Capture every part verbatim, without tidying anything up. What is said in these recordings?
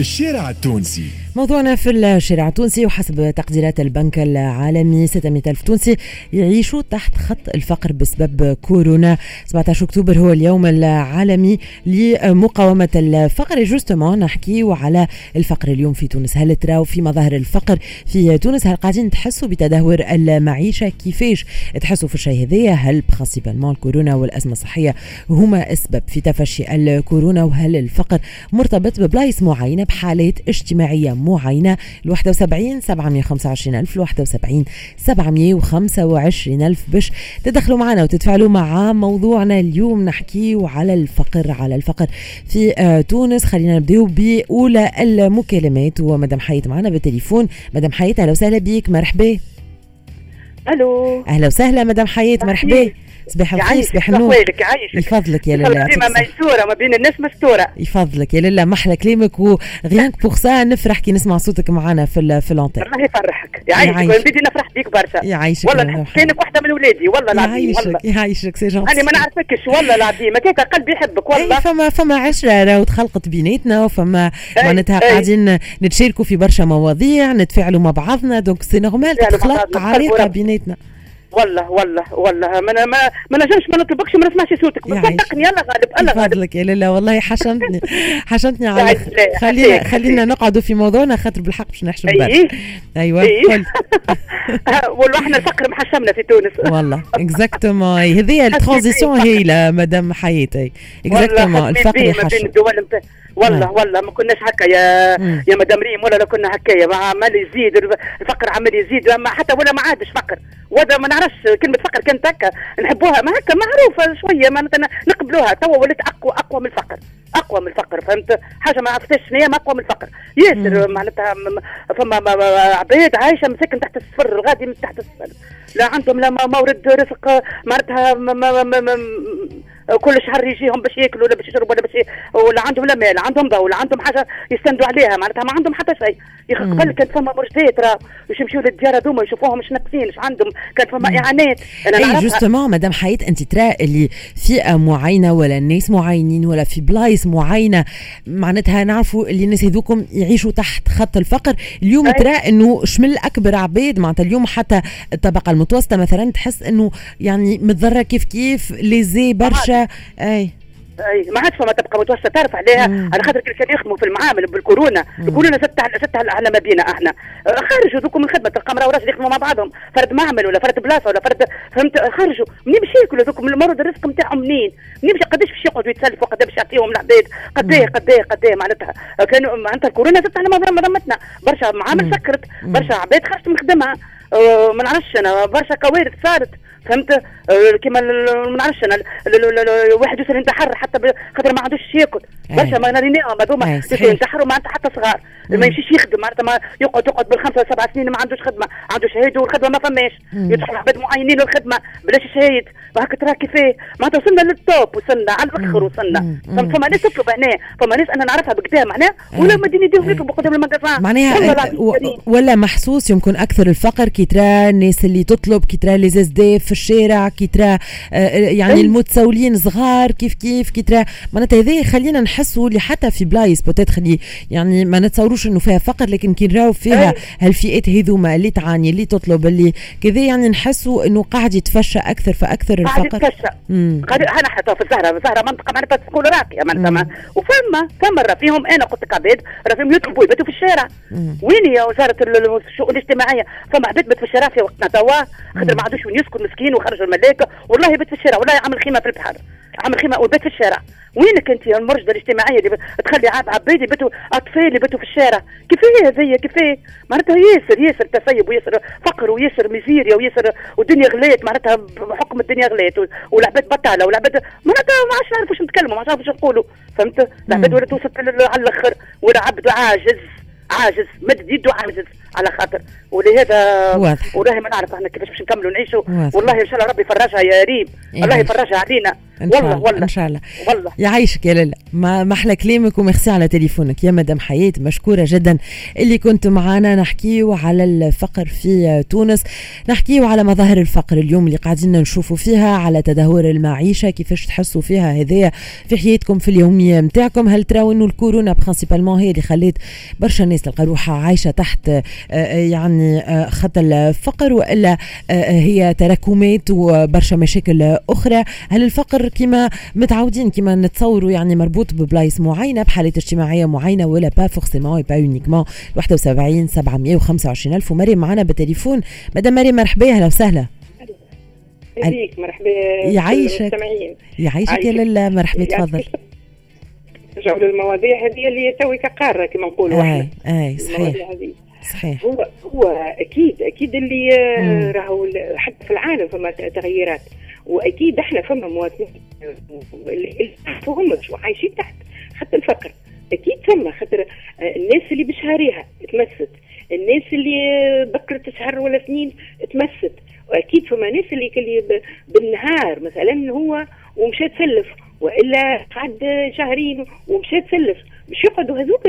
الشارع التونسي. موضوعنا في الشارع التونسي، وحسب تقديرات البنك العالمي ستمائة ألف تونسي يعيشوا تحت خط الفقر بسبب كورونا. سبعة عشر أكتوبر هو اليوم العالمي لمقاومة الفقر. justement نحكيو على الفقر اليوم في تونس. هل تراو في مظاهر الفقر في تونس؟ هل قاعدين تحسوا بتدهور المعيشة؟ كيفاش تحسوا في الشيء هذايا؟ هل principalement الكورونا والأزمة الصحية هما السبب في تفشي الكورونا؟ وهل الفقر مرتبط ببلايص معينة، بحالات اجتماعية معينة؟ الواحد وسبعين سبعمية وخمسة وعشرين ألف، الواحد وسبعين سبعمية وخمسة وعشرين ألف باش تدخلوا معنا وتتفاعلوا مع موضوعنا اليوم. نحكيو على الفقر، على الفقر في آه تونس. خلينا نبداو بأولى المكالمات، ومدام حياة معنا بالتليفون. مدام حياة أهلا وسهلا بيك، مرحبا. الو، أهلا وسهلا مدام حياة، مرحبا. صباح الخير. صباح النور. يعيشك. يفضلك يا لاله. ديما ميسوره ما بين الناس مستورة. يفضلك يا لاله، محلى كلامك، و rien que pour ça نفرح كي نسمع صوتك معنا في في l'antenne. الله يفرحك، يعيشك، بدي نفرح بيك برشا. يعيشك والله، كانك واحدة من ولادي والله العظيم. والله يعيشك c'est gentil. انا ما نعرفكش والله العظيم، هكاك قلبي يحبك والله. أي فما فما عشرة راهو تخلقت بيناتنا، وفما معناتها قاعدين نتشاركوا في برشا مواضيع، نتفاعلوا مع بعضنا، donc c'est normal تخلق علاقة بيناتنا. والله والله والله ما ما ما نجمش ما نطلبكش وما نسمعش صوتك، صدقني. الله غالب، الله غالب. فضلك يا لاله والله حشمتني حشمتني على خلينا خلينا نقعدوا في موضوعنا خاطر بالحق باش نحشم برشا. ايوه قلت والله احنا الفقر محشمنا في تونس والله. exactement، هذه ال transition هايلة مدام حياتي. exactement، الفقر يحشم. والله والله ما كناش هكا يا مم. يا مدام ريم، ولا كنا هكايا. عمال يزيد الفقر، عمال يزيد، ما حتى ولا ما عادش فقر، ولا ما نعرفش كلمة فقر كانت هكا نحبوها، ما هكا معروفة شوية، ما نقبلوها. توا ولات اقوى اقوى من الفقر، اقوى من الفقر، فهمت؟ حاجة ما عرفتش شنو هي، اقوى من الفقر ياسر. معناتها فما عباد عايشه مساكن تحت الصفر، الغادي من تحت الصفر، لا عندهم لا مورد رزق، معناتها كل شهر يجيهم باش ياكلوا ولا باش يشربوا ولا باش، ولا عندهم لا مال، عندهم ضوء، ولا عندهم حاجة يستندوا عليها، معناتها ما عندهم حتى شيء. قبل كانت فما مرشدات راه باش يمشيو للديار هذوما يشوفوهم مش ناقصين، اش عندهم، كانت فما اعانات. انا اي justement مدام حياة، انت ترى اللي فئة معينة ولا الناس معينين ولا في بلايص معينة، معناتها نعرفوا اللي الناس هذوكم يعيشوا تحت خط الفقر. اليوم ترى انه شمل اكبر عباد، معناتها اليوم حتى الطبقة المتوسطة مثلا تحس انه يعني متضرره كيف كيف lésée برشا. اي اي ما عادش فما طبقه متوسطه تعرف عليها، على خاطر كانوا يخدموا في المعامل بالكورونا. الكورونا زدت زدت على ما بينا احنا، خرجوا ذوكم من الخدمة، تلقى مراة وراجل يخدموا مع بعضهم، فرد معمل ولا فرد بلاصة ولا فرد، فهمت؟ خرجوا منين باش ياكلوا ذوكم، المرض الرزق نتاعهم منين؟ منين باش قداش باش يقعدوا يتسلفوا، قداش باش يعطيهم العباد، قداه قداه قداه معناتها كانوا معناتها الكورونا زدت على مذمتنا، برشا معامل سكرت، برشا عباد خرجت من خدمها، أه ما نعرفش انا، برشا كوارث صارت، فهمت؟ أه كيما ما نعرفش انا، واحد يوصل ينتحر حتى خاطر ما عندوش ياكل، برشا ما ريناهم هذوما ينتحروا معناتها حتى صغار، ما يمشيش يخدم، معناتها ما يقعد يقعد بالخمسة سبع سنين ما عندوش خدمة، عنده شهادة والخدمة ما فماش، يدخل عباد معينين للخدمة بلاش شهايد، وهكا ترى كيفاه معناتها وصلنا لل top، وصلنا على الاخر وصلنا. فما ناس تطلب هنا، فما ناس انا نعرفها بكدا معناها ولا مدين يديهم يطلبوا قدام ال magasin معناها، ولا محسوس يمكن اكثر الفقر كي ترى الناس اللي تطلب، كي ترى les SDF في الشارع، كي ترى يعني المتسولين صغار كيف كيف، كي ترى معناتها هذا خلينا نحسوا اللي حتى في بلايص peut-être اللي يعني ما نتصوروش انه فيها فقر، لكن كي نراو فيها هالفئات هذوما اللي تعاني اللي تطلب اللي كذا، يعني نحسوا انه قاعد يتفشى اكثر فاكثر الفقر. قاعد يتفشى. انا حتى في الزهرة، الزهرة منطقة معناتها تقول راقية معناتها، وفما فما راه فيهم، انا قلت لك عباد راه فيهم يطلبوا يباتوا في الشارع. وين يا وزارة الشؤون الاجتماعية؟ فما عباد بات في الشارع في وقتنا توا، خاطر ما عندوش وين يسكن مسكين وخرجوا الملاكه، والله يبات في الشارع، والله عامل خيمة في البحر، عامل خيمة وبات في الشارع. وينك انت يا المرشده الاجتماعية اللي تخلي عاب عباد يباتوا اطفال يباتوا في الشارع؟ كيفاه هذيا كيفاه؟ معناتها ياسر ياسر تسيب وياسر فقر وياسر ميزيريا وياسر، والدنيا غلات معناتها بحكم الدنيا غلات والعباد بطاله والعباد معناتها ما عادش نعرفوا واش نتكلموا، ما عادش نعرفوا واش نقولوا، فهمت؟ العباد ولات وصلت على الاخر، ولا عبد عاجز عاجز مد يده عاجز على خاطر، ولهذا والله ما نعرف احنا كيفاش باش نكملوا نعيشوا. والله ان شاء الله ربي يفرجها يا ريم، الله يفرجها علينا. والله والله ان شاء الله والله. يعيشك يا لاله، ما محلى كلامك وميرسي على تليفونك يا مدام حياة، مشكورة جدا اللي كنت معنا. نحكيو على الفقر في تونس، نحكيو على مظاهر الفقر اليوم اللي قاعدين نشوفوا فيها، على تدهور المعيشة، كيفاش تحسوا فيها هذايا في حياتكم في اليومية نتاعكم. هل تراو انه الكورونا principalement هي اللي خلت برشا ناس تلقى روحها عايشه تحت يعني خط الفقر، والا هي تراكمات وبرشا مشاكل اخرى؟ هل الفقر كما متعودين كما نتصوروا يعني مربوط ببلايص معينة، بحالات اجتماعية معينة، ولا pas forcément pas uniquement؟ واحد وسبعين سبعمية وخمسة وعشرين ألف. ومريم معنا بالتليفون. مدام مريم مرحبا، اهلا وسهلا. بيك مرحبا. يعيشك يعيشك يا لاله، مرحبا تفضل. نرجعوا للمواضيع هذه اللي توي كقاره كما نقولوا احنا. اي صحيح صحيح. هو هو اكيد اكيد اللي راهو حتى في العالم فما تغييرات، واكيد احنا فما مواطنين اللي فهمش وعايشين تحت خط الفقر، اكيد فما، خاطر الناس اللي بشهريها تمست، الناس اللي بكرت شهر ولا اثنين تمست، واكيد فما ناس اللي اللي بالنهار مثلا هو ومشى تسلف، والا قعد شهرين ومشى تسلف، مش يقعدوا هذوك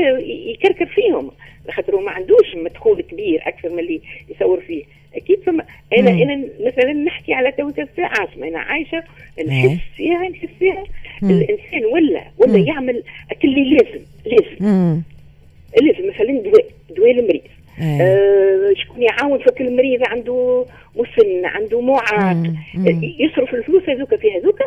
يكركر فيهم خاطر ما عندوش مدخول كبير اكثر من اللي يصور فيه. اكيد فما انا مم. انا مثلا نحكي على توتر في العاصمة، انا عايشه نحس فيها نحس فيها مم. الانسان ولا ولا مم. يعمل اللي لازم لازم مم. لازم مثلا دواء دواء المريض، آه شكون يعاون فك المريض عنده مسن عنده معاق، يصرف الفلوس هذوك في هذوك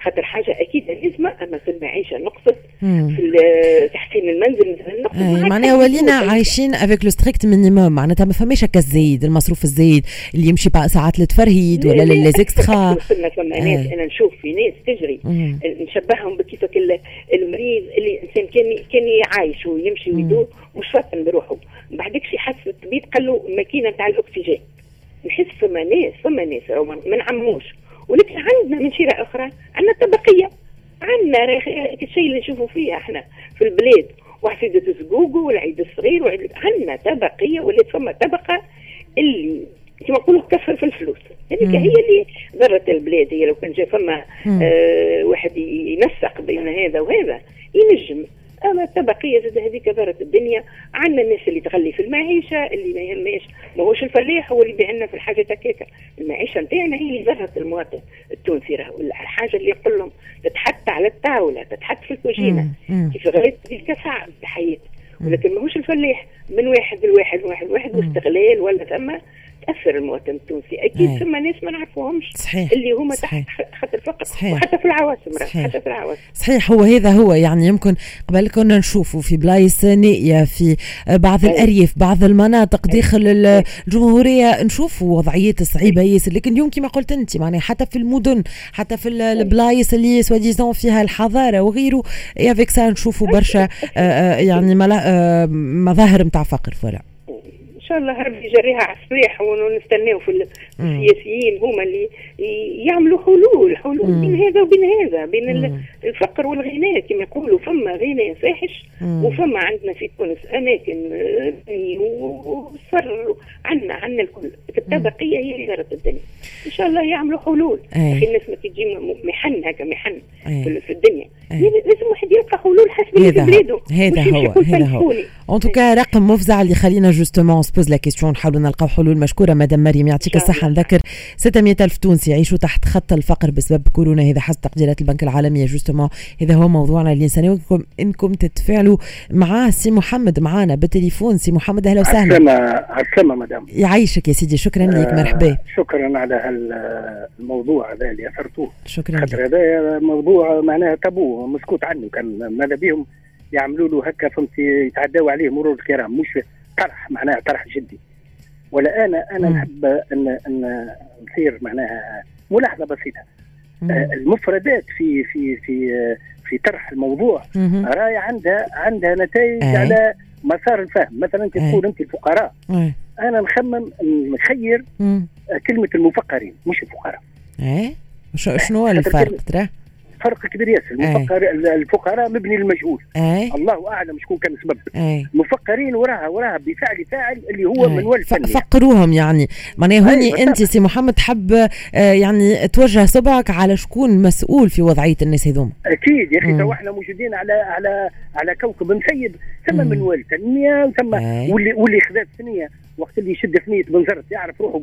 خاطر حاجة اكيد لازمه. اما في المعيشة نقصت، في تحسين المنزل مثلا نقصت، معناها ولينا عايشين avec le strict minimum، معناتها ما فماش هكا الزايد، المصروف الزايد اللي يمشي ساعات للتفرهيد ولا ل les extras. فما ناس انا نشوف في ناس تجري مم. نشبههم بكيفك المريض اللي الانسان كان كان عايش ويمشي ويدور مش فاطن بروحه، بعدك شي حس الطبيب قال له الماكينة نتاع الاكسجين. نحس فما ناس فما ناس ما نعموش، ولكن عندنا من شيرة أخرى عندنا طبقية، عندنا الشيء اللي نشوفه فيه احنا في البلاد، وحفيدة الزقوقو والعيد الصغير وعيد، عندنا طبقية ولات فما طبقة اللي كما نقولوا تكفر في الفلوس، هذيك هي اللي ضرت البلاد. هي لو كان جا فما آه واحد ينسق بين هذا وهذا ينجم، اما الطبقية زاد هذيك ضرت الدنيا. عندنا الناس اللي تغلي في المعيشة، اللي ما يهمش ماهوش الفلاح هو اللي يبيع لنا في الحاجة تكاكا، المعيشة نتاعنا هي اللي ضرت المواطن التونسي. راهو الحاجة اللي يقول لهم تتحط على الطاولة، تتحط في الكوجينه، كيف غليت هذيك صعب الحياة، ولكن ماهوش الفلاح من واحد لواحد واحد واحد واستغلال ولا ثم تاثر المواطن التونسي. اكيد ثم ناس ما نعرفوهمش اللي هما تحت خط الفقر، وحتى في العواصم، حتى في العواصم. صحيح، هو هذا هو يعني يمكن قبل كنا نشوفوا في بلايص نائية في بعض أي. الارياف، بعض المناطق داخل الجمهورية نشوفوا وضعيات صعيبة ياسر، لكن اليوم كما قلت انت معناها حتى في المدن، حتى في البلايص اللي soi-disant فيها الحضارة وغيره، avec ça نشوفوا برشا يعني مظاهر نتاع فقر. voilà ان شاء الله ربي يجريها على الصليح، ونستناو في السياسيين هما اللي يعملوا حلول حلول مم. بين هذا وبين هذا، بين مم. الفقر والغناء كما يقولوا. فما غناء فاحش، وفما عندنا في تونس اماكن وصر، عندنا عندنا الكل. الطبقية هي اللي ضرت الدنيا. ان شاء الله يعملوا حلول. اخي الناس ما تجي محن هكا محن في الدنيا، لازم واحد يلقى حلول حسب اللي في بلاده. هذا هو هذا هو en tout cas رقم مفزع اللي خلينا justement pose la question، نحاولوا نلقاو حلول. مشكورة مدام مريم، يعطيك الصحة. نذكر ستمية ألف تونسي يعيشوا تحت خط الفقر بسبب كورونا، هذا حسب تقديرات البنك العالمي. justement هذا هو موضوعنا اللي نستناوكم انكم تتفاعلوا معاه. سي محمد معانا بالتليفون. سي محمد اهلا وسهلا. عسلامة مدام. يعيشك يا سيدي، شكرا لك، مرحبا. شكرا على الموضوع هذا اللي اثرتوه. شكرا لك. هذا موضوع معناها تابو مسكوت عنه، كان ماذا بهم يعملوا له هكا فهمتي، يتعداوا عليه مرور الكرام، مش طرح معناها طرح جدي. ولا انا انا نحب ان ان نثير معناها ملاحظة بسيطة. آه المفردات في في في في طرح الموضوع راي عندها عندها نتائج أي. على مسار الفهم. مثلا انت تقول انت الفقراء، أي. انا نخمم نخير مم. كلمة المفقرين مش الفقراء. اي شنو هو الفرق ترى؟ فرق كبير ياسر. المفقر الفقراء مبني للمجهول، الله اعلم شكون كان السبب. المفقرين وراها وراها بفعل فاعل اللي هو منوال التنمية، فقروهم يعني. معناها هوني انت سي محمد تحب يعني توجه صبعك على شكون مسؤول في وضعية الناس هذوما. اكيد يا اخي، تو احنا موجودين على على على كوكب مسيب، ثم منوال التنمية ثم واللي واللي خذا الثنية وقت اللي يشد ثنيه بنزرت يعرف روحه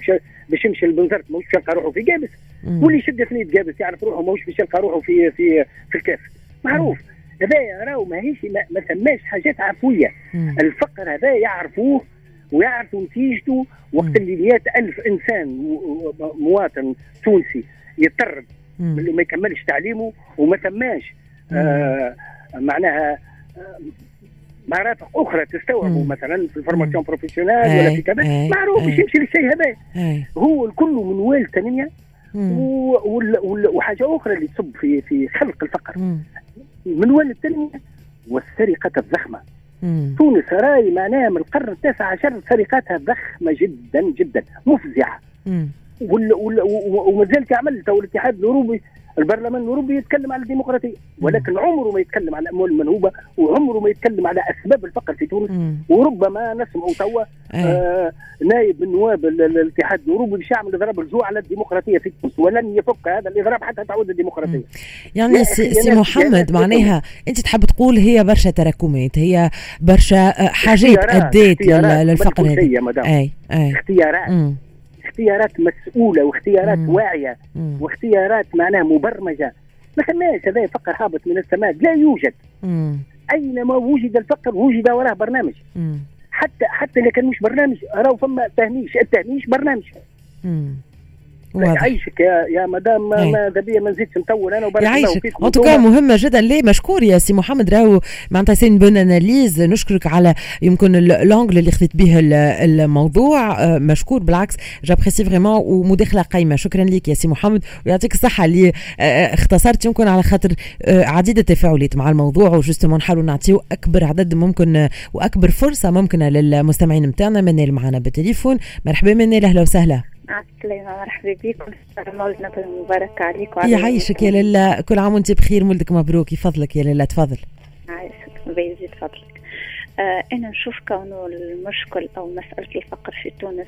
باش يمشي لبنزرت ماهوش باش يلقى روحه في قابس، واللي يشد ثنيه قابس يعرف روحه ماهوش باش يلقى روحه في في في الكاف. معروف هذا، راهو ماهيش ما, ما ثماش حاجات عفوية. مم. الفقر هذا يعرفوه ويعرفوا نتيجته. وقت اللي مئة ألف انسان مواطن تونسي يضطر اللي ما يكملش تعليمه وما ثماش آه معناها آه مرافق اخرى تستوعبه مثلا في ال formation professionnelle ولا في كذا، معروف باش يمشي للشيء هذا. هو الكل منوال تنمية. وحاجه اخرى اللي تصب في في خلق الفقر منوال التنمية والسرقة الضخمة. مم. تونس راي معناها من القرن التاسع عشر سرقاتها ضخمة جدا جدا مفزعه. ومازال تعمل تو الاتحاد الاوروبي، البرلمان الاوروبي يتكلم على الديمقراطية، ولكن عمره ما يتكلم على الاموال المنهوبه، وعمره ما يتكلم على اسباب الفقر في تونس. مم. وربما نسمع توا آه نائب من نواب الاتحاد الاوروبي باش يعمل اضراب الجوع على الديمقراطية في تونس، ولن يفك هذا الاضراب حتى تعود الديمقراطية. يعني سي, سي محمد معناها انت تحب تقول هي برشا تراكمات، هي برشا حاجات ادت للفقر هذا. اي اي اختيارات. مم. اختيارات مسؤولة واختيارات مم. واعية. مم. واختيارات معناها مبرمجة. ما ثماش هذا فقر هابط من السماء، لا يوجد. مم. أينما وجد الفقر وجد وراه برنامج. مم. حتى حتى إذا كان مش برنامج راهو فما تهميش، التهميش برنامج. مم. يعيشك يا يا مدام، ماذا بيا ما نزيدش نطول انا وبارك الله فيك. en tout cas مهمة جدا. ليه مشكور يا سي محمد، راهو معناتها c'est une bonne analyse. نشكرك على يمكن l'angle اللي خذيت به الموضوع، مشكور بالعكس، j'apprécie vraiment ومداخله قيمة. شكرا لك يا سي محمد ويعطيك الصحة اللي اختصرت يمكن على خاطر عديد التفاعلات مع الموضوع، و justement نحاولوا نعطيو اكبر عدد ممكن واكبر فرصة ممكنة للمستمعين نتاعنا. منال معنا بالتليفون، مرحبا منال، اهلا وسهلا. السلامة، مرحبا بكم، مولد نبوي مبارك عليك وعلى يعيشك يا لالا، كل عام وانت بخير، مولدك مبروك، يفضلك يا لالا، تفضل. عايشك بيزيد فضلك. آه أنا نشوف كونه المشكل أو مسألة الفقر في تونس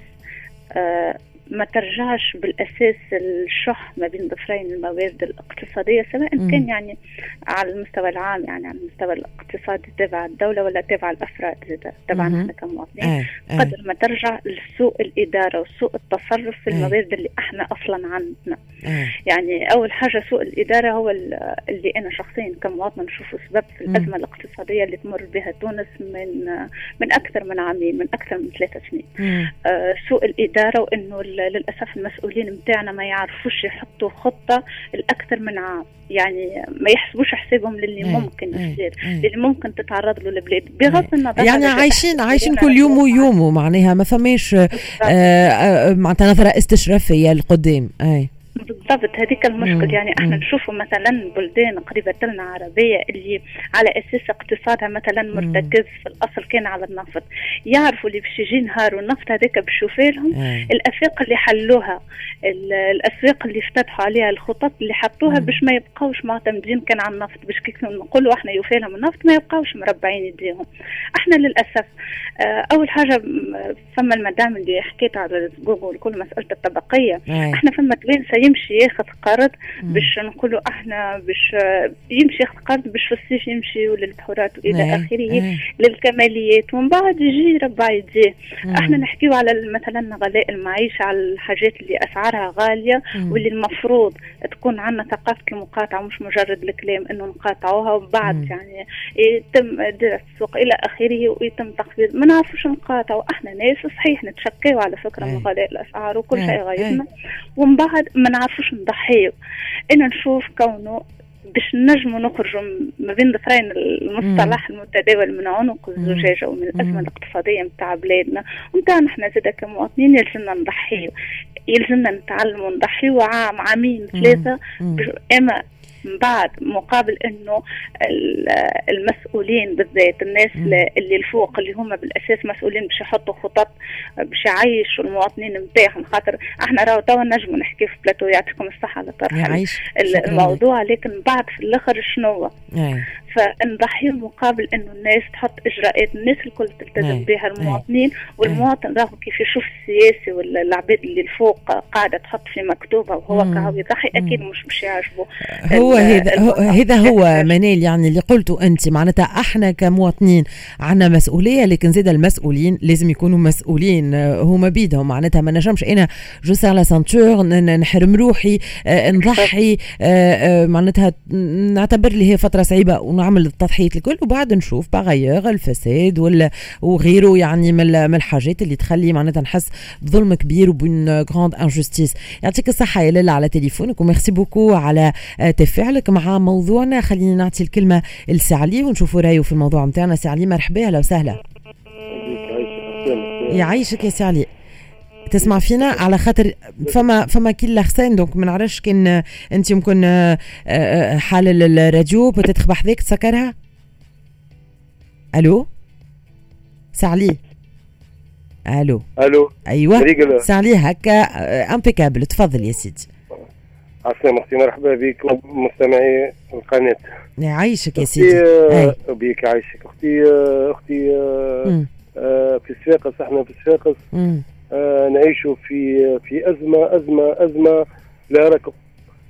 آه ما ترجعش بالأساس الشح ما بين ضفرين الموارد الاقتصادية، سواء مم. كان يعني على المستوى العام، يعني على المستوى الاقتصادي تبع الدولة ولا تبع الأفراد تبعنا احنا كمواطنين، قدر ما ترجع لسوء الإدارة وسوء التصرف في الموارد اللي احنا أصلا عندنا. آه. يعني أول حاجة سوء الإدارة هو اللي أنا شخصيا كمواطنة نشوفه سبب في الأزمة الاقتصادية اللي تمر بها تونس من من أكثر من عامين، من أكثر من ثلاثة سنين. آه سوء الإدارة، وإنه للأسف المسؤولين متاعنا ما يعرفوش يحطوا خطة الأكثر من عام، يعني ما يحسبوش حسابهم للي ممكن يصير، للي ممكن تتعرض له البلاد، بغض النظر. يعني عايشين عايشين كل يوم ويومه، معناها ما فماش معناتها نظرة استشرافية لقدام. أي بالضبط، هذيك المشكل. يعني احنا نشوفوا مثلا بلدان قريبة لنا عربية اللي على اساس اقتصادها مثلا مرتكز في الاصل كان على النفط، يعرفوا اللي باش يجي نهار والنفط هذاك باش يوفي لهم، الافاق اللي حلوها، الاسواق اللي افتتحوا عليها، الخطط اللي حطوها باش ما يبقاوش معتمدين كان على النفط، باش كيف نقولوا احنا يوفي لهم النفط ما يبقاوش مربعين يديهم. احنا للاسف اول حاجة فما المدام اللي حكيت على جوجل كل مسألة الطبقية، احنا فما توانسة يمشي ياخذ قرض باش نقولوا احنا باش يمشي ياخذ قرض باش في الصيف يمشي للبحورات والى اخره للكماليات، ومن بعد يجي يربع يديه. احنا نحكيو على مثلا غلاء المعيشة، على الحاجات اللي اسعارها غالية مم. واللي المفروض تكون عندنا ثقافة المقاطعة، مش مجرد الكلام انه نقاطعوها وبعد مم. يعني يتم دراسة السوق الى اخره ويتم تخفيض، ما نعرفوش نقاطعوا. احنا ناس صحيح نتشكيو على فكرة من غلاء الاسعار وكل شيء غايبنا، ومن بعد ما نعرفوش نضحيو. انا نشوف كونه باش نجموا نخرجوا ما بين ظفرين المصطلح المتداول من عنق الزجاجة ومن الازمة الاقتصادية نتاع بلادنا ونتاع نحن زاده كمواطنين، يلزمنا نضحيو، يلزمنا نتعلموا نضحيو عام عامين ثلاثة، اما من بعد مقابل انه المسؤولين بالذات الناس اللي الفوق اللي هما بالاساس مسؤولين باش يحطوا خطط باش يعيشوا المواطنين نتاعهم، خاطر احنا راهو توا نجموا نحكي في بلاتو يعطيكم الصحة على طرح الموضوع، لكن بعد في الاخر شنو؟ فنضحي مقابل انه الناس تحط اجراءات الناس الكل تلتزم بها المواطنين، والمواطن راهو كيف يشوف السياسي ولا العباد اللي الفوق قاعدة تحط في مكتوبة وهو كهو يضحي اكيد مش باش يعجبه. هو هذا هذا هو منال، يعني اللي قلته انت معناتها احنا كمواطنين عندنا مسؤولية، لكن زاد المسؤولين لازم يكونوا مسؤولين هما بيدهم. معناتها ما نجمش انا je serre la ceinture نحرم روحي نضحي، معناتها نعتبر لي هي فترة صعيبة ونعمل التضحيات الكل، وبعد نشوف par ailleurs الفساد ولا وغيره، يعني من الحاجات اللي تخلي معناتها نحس بظلم كبير وب une grande injustice. يعطيك الصحة يا لاله على تليفونك و merci beaucoup على تفاعلك مع موضوعنا. خليني نعطي الكلمة لسي علي ونشوفوا رايه في الموضوع نتاعنا. سي علي مرحبا، اهلا وسهلا. يعيشك يا سي علي. تسمع فينا؟ على خاطر فما فما كي لارسين، donc ما نعرفش كان انت يمكن حال الراديو peut-être بحذاك تسكرها. الو سي علي، الو الو، ايوه سي علي هكا impeccable، تفضل يا سيدي. عسلامة اختي، مرحبا بك مستمعي القناة. يعيشك يا سيدي. أي. بك يعيشك اختي. اختي آه في صفاقس، احنا في صفاقس آه نعيشوا في في ازمة ازمة ازمة لا ركب،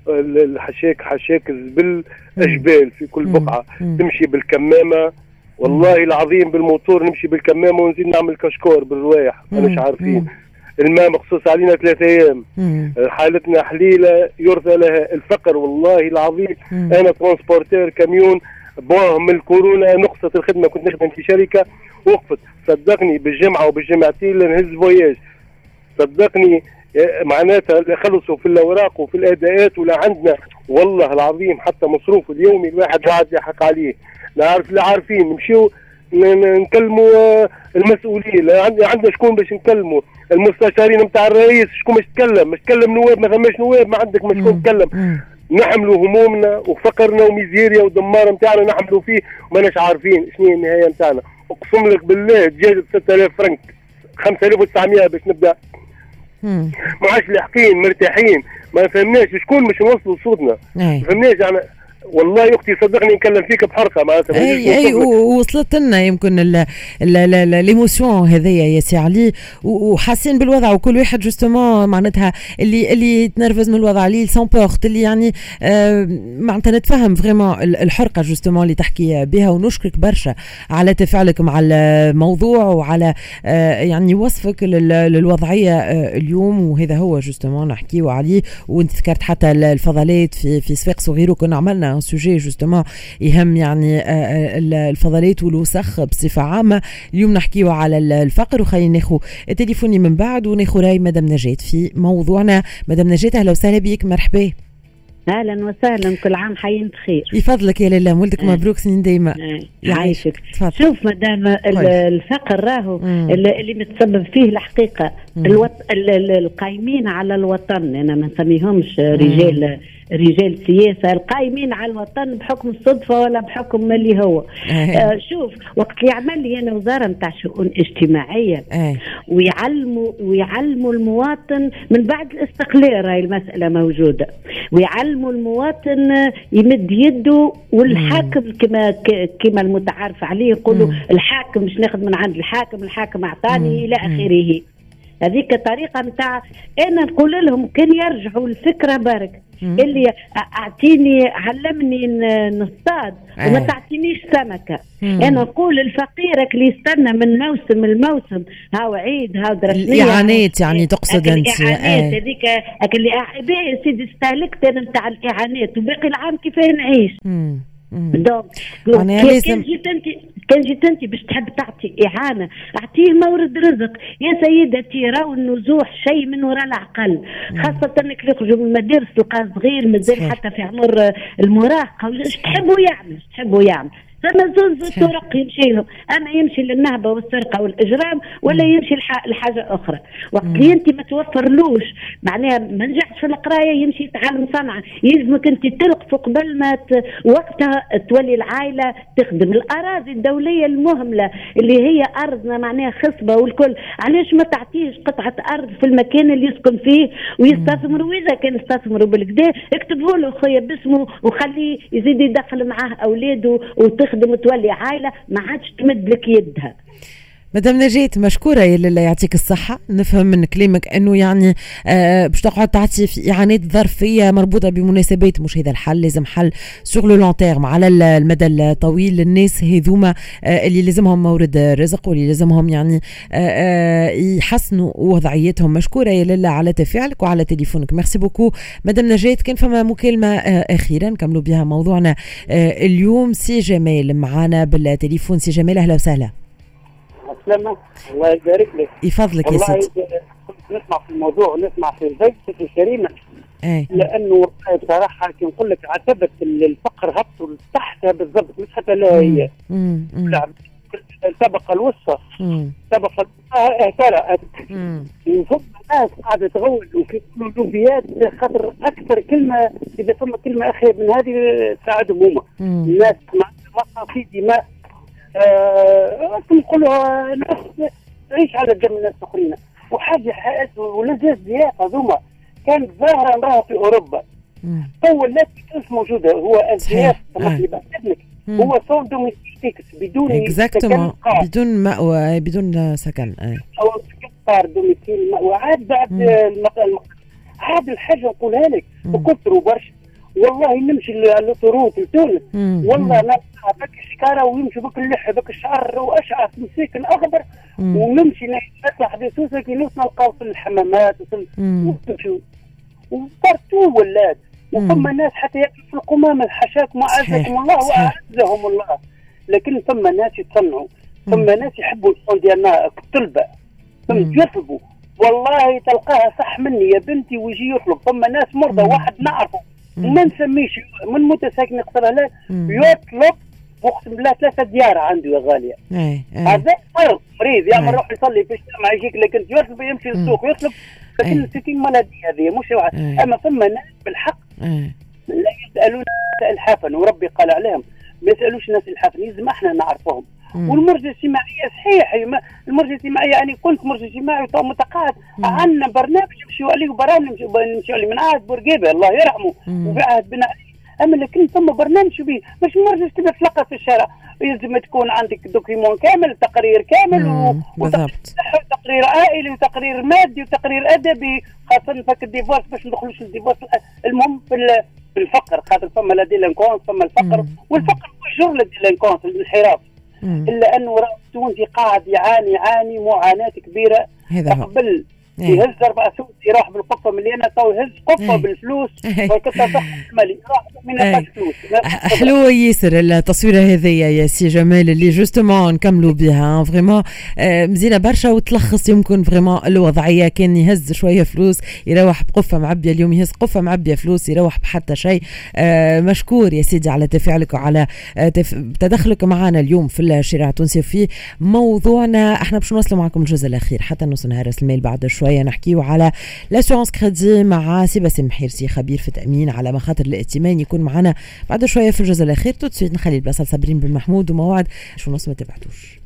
الحشاك حشاك الزبل اجبال في كل بقعة. مم. تمشي بالكمامه والله العظيم، بالموتور نمشي بالكمامه ونزيد نعمل cache-corps بالروايح، ماناش عارفين. الماء مخصوص علينا ثلاثة ايام، حالتنا حليله يرثى لها، الفقر والله العظيم. مم. انا transporteur camion، bon من الكورونا نقصت الخدمة، كنت نخدم في شركة وقفت، صدقني بالجمعة وبالجمعتين نهز voyage، صدقني معناتها خلصوا في الاوراق وفي الاداءات ولا عندنا والله العظيم حتى مصروف اليومي الواحد قاعد يحق عليه، لا عارف لا عارفين نمشيو نكلموا المسؤولين، لا عندنا شكون باش نكلموا، المستشارين نتاع الرئيس شكون باش تكلم، مش تكلم نواب، ما ثماش نواب، ما عندك ما شكون تكلم. نحملوا همومنا وفقرنا وميزيريا ودمار نتاعنا نحملوا فيه وماناش عارفين شنو هي النهاية نتاعنا. اقسم لك بالله دجاج ب ستة آلاف فرنك، خمسة آلاف وتسعمية باش نبدا، ما عادش لاحقين مرتاحين، ما فهمناش شكون باش نوصلوا صوتنا، ما فهمناش يعني. والله يا اختي صدقني نكلم فيك بحرقه معناتها. اي اي وصلت لنا يمكن l'émotion هذيا يا سي علي، وحاسين بالوضع، وكل واحد justement معناتها اللي اللي يتنرفز من الوضع اللي s'emporte، اللي يعني آه معناتها نتفهم vraiment الحرقة justement اللي تحكي بها. ونشكرك برشا على تفاعلك مع الموضوع وعلى آه يعني وصفك للوضعيه آه اليوم، وهذا هو justement نحكيو عليه. وانت ذكرت حتى الفضلات في في صفاقس وغيره، كنا عملنا sujet justement يهم يعني الفضلات والوسخ بصفة عامة. اليوم نحكيو على الفقر، وخلينا ناخو تليفوني من بعد وناخو راي مدام نجاة في موضوعنا. مدام نجاة اهلا وسهلا بك، مرحبا. اهلا وسهلا، كل عام حيين بخير. يفضلك يا لاله، ولدك مبروك سنين دايما. يعيشك. شوف مدام، الفقر راهو اللي متسبب فيه الحقيقة الوط... القايمين على الوطن، انا ما نسميهمش رجال رجال سياسة، القايمين على الوطن بحكم الصدفة ولا بحكم اللي هو. آه شوف وقت اللي يعمل لي انا وزارة نتاع شؤون اجتماعية ويعلموا ويعلموا المواطن من بعد الاستقلال، راهي المسالة موجودة، ويعلموا المواطن يمد يده، والحاكم كما كما المتعارف عليه يقولوا الحاكم مش ناخذ من عند الحاكم، الحاكم اعطاني الى اخره. هذيك طريقه نتاع انا نقول لهم كان يرجعوا الفكرة برك، اللي اعطيني علمني نصطاد وما تعطينيش سمكة. مم. انا نقول الفقير اللي يستنى من موسم الموسم، هاو عيد هاو درسنيه، الاعانات يعني تقصد انت الاعانات هذيك اللي باهي سيدي استهلكت انا نتاع الاعانات وباقي العام كيفاه نعيش. مم. donc كان جيت انت كان جيت انت باش تحب تعطي اعانه اعطيه مورد رزق يا سيدتي. راهو النزوح شيء من وراء العقل، خاصة انك يخرجوا من المدارس تلقاه صغير مازال حتى في عمر المراهقة، اش تحبوا يعمل اش تحبوا يعمل. فما زوز طرق يمشي لهم، اما يمشي للنهبه والسرقة والاجرام ولا يمشي لحاجة اخرى. وقت اللي انت ما توفرلوش معناها ما نجحش في القراية يمشي يتعلم صنعه، يلزمك انت تلقفه قبل ما ت... وقتها تولي العائلة تخدم. الاراضي الدولية المهملة اللي هي ارضنا معناها خصبة والكل، علاش ما تعطيش قطعه ارض في المكان اللي يسكن فيه ويستثمر؟ واذا كان استثمروا بالكدا اكتبوا له خويا باسمه وخليه يزيد يدخل معاه اولاده وتخدم وتولي عائلة ما عادش تمد لك يدها. مدام نجاة مشكورة يا لله، يعطيك الصحة. نفهم من كلامك أنه يعني آه باش تقعد تعطي في إعانات ظرفية مربوطة بمناسبات، مش هذا الحل، لازم حل sur le long terme على المدى الطويل للناس هذوما آه اللي لازمهم مورد رزق واللي لازمهم يعني آه آه يحسنوا وضعيتهم. مشكورة يا لله على تفاعلك وعلى تليفونك، merci beaucoup مدام نجاة. كان فما مكالمة آه أخيرا نكملوا بها موضوعنا آه اليوم. سي جمال معنا بالتليفون. سي جمال أهلا وسهلا. السلامة، الله يبارك لك. يفضلك يا سيدي. كنت نسمع في الموضوع ونسمع في ضيفتك الكريمة، ايه؟ لأنه بصراحة كي نقول لك عتبة الفقر هبطوا لتحتها بالضبط، مش حتى لا هي الطبقة الوسطى، الطبقة الوسطى اهترأت، وفما ناس قاعدة تغول وكيقولوا لوبيات، خاطر أكثر كلمة إذا فما كلمة أخير من هذه تساعدهم هما الناس مع في دماء أه نقولوا ناس تعيش على دم الناس الاخرين. وحاجه ولا زياف هذوما كانت ظاهره نراها في اوروبا، تو ولات في تونس موجودة. هو الزياف هو sans domicile fixe، بدون سكن، بدون مأوى، بدون سكن، او قار domicile مأوى. عاد بعد عاد الحاجة نقولها لك وكثروا برشا والله. نمشي l'autoroute لتونس والله نلقى بك الشكاره ويمشي بك اللحى بك الشعر واشعث مساكن اخضر، ونمشي نطلع حدا سوسة كي نوصل نلقاو في الحمامات وفي و partout ولات. وفما ناس حتى ياكلوا في القمامة، حاشاكم وعزكم الله واعزهم الله، لكن فما ناس يتصنعوا، فما ناس يحبوا الصون ديالنا الطلبة، ثم يطلبوا والله تلقاها صح مني يا بنتي ويجي يطلب. فما ناس مرضى، واحد نعرفه ما نسميش من متساكن قصر هلال يطلب اقسم بالله ثلاثة ديار عنده يا غالية. هذا مرض مريض يعمل روح يصلي في الجامع يجيك، لكن يطلب يمشي للسوق يطلب، لكن ستين ملادية هذه مش واحد. اما ثم ناس بالحق لا يسالون الحافا، وربي قال عليهم ما يسالوش الناس الحافا، لازم احنا نعرفهم. والمرجع الاجتماعية صحيح، المرجع الاجتماعي يعني كنت مرجع اجتماعي متقاعد، عندنا برنامج نمشيو عليه وبرامج نمشيو عليه من عهد بورقيبة الله يرحمه وفي عهد بن علي، اما لكن ثم برنامج به مش مرجع تبدا تلقى في الشارع، يلزم تكون عندك document كامل، تقرير كامل، وتقرير عائلي وتقرير مادي وتقرير ادبي، خاصة فك ال divorce باش ندخلوش ال divorce. المهم في الفقر، خاطر فما la délinquance، فما الفقر، والفقر هو جر la délinquance الانحراف. الا انه راه التونسي قاعد يعاني يعاني معاناة كبيرة. قبل يهز اربع سوس يروح بالقفه مليانة، تو يهز قفة بالفلوس ويكثر المالي يروح من فلوس. حلوة ياسر التصويره هذيا يا سي جمال اللي justement نكملوا بها، vraiment مزيانه برشا وتلخص يمكن vraiment الوضعية. كان يهز شوية فلوس يروح بقفه معبيه، اليوم يهز قفة معبيه فلوس يروح بحتى شيء. مشكور يا سيدي على تفاعلك وعلى تدخلك معنا اليوم في الشارع التونسي في موضوعنا. احنا باش نوصلوا معكم الجزء الاخير حتى نوصل نهار المال بعد شوية نحكيو على l'assurance crédit مع سي باسم حرسي خبير في التأمين على مخاطر الائتمان، يكون معنا بعد شوية في الجزء الأخير. tout de suite نخلي البلاصة لصابرين بن محمود وموعد شو نص ما تبعتوش.